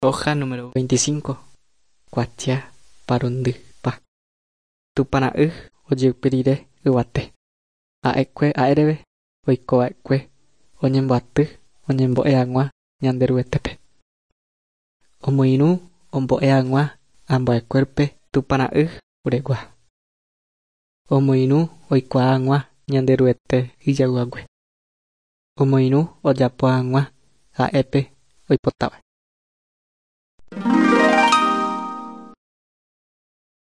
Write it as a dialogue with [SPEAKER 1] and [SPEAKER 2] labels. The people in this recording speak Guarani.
[SPEAKER 1] Hoja número 25. Kuatia parundypa. Tupãra'y ojeupi rire yvate. Ha'ekue ha'éreve oikova'ekue oñemboaty oñembo'e hag̃ua Ñanderuetépe. Omoirũ ombo'e hag̃ua ambuekuérape Tupãra'y uregua. Omoirũ oikuaa hag̃ua Ñanderuete ijayvuhague. Omoirũ ojapo hag̃ua ha'épe oipotáva.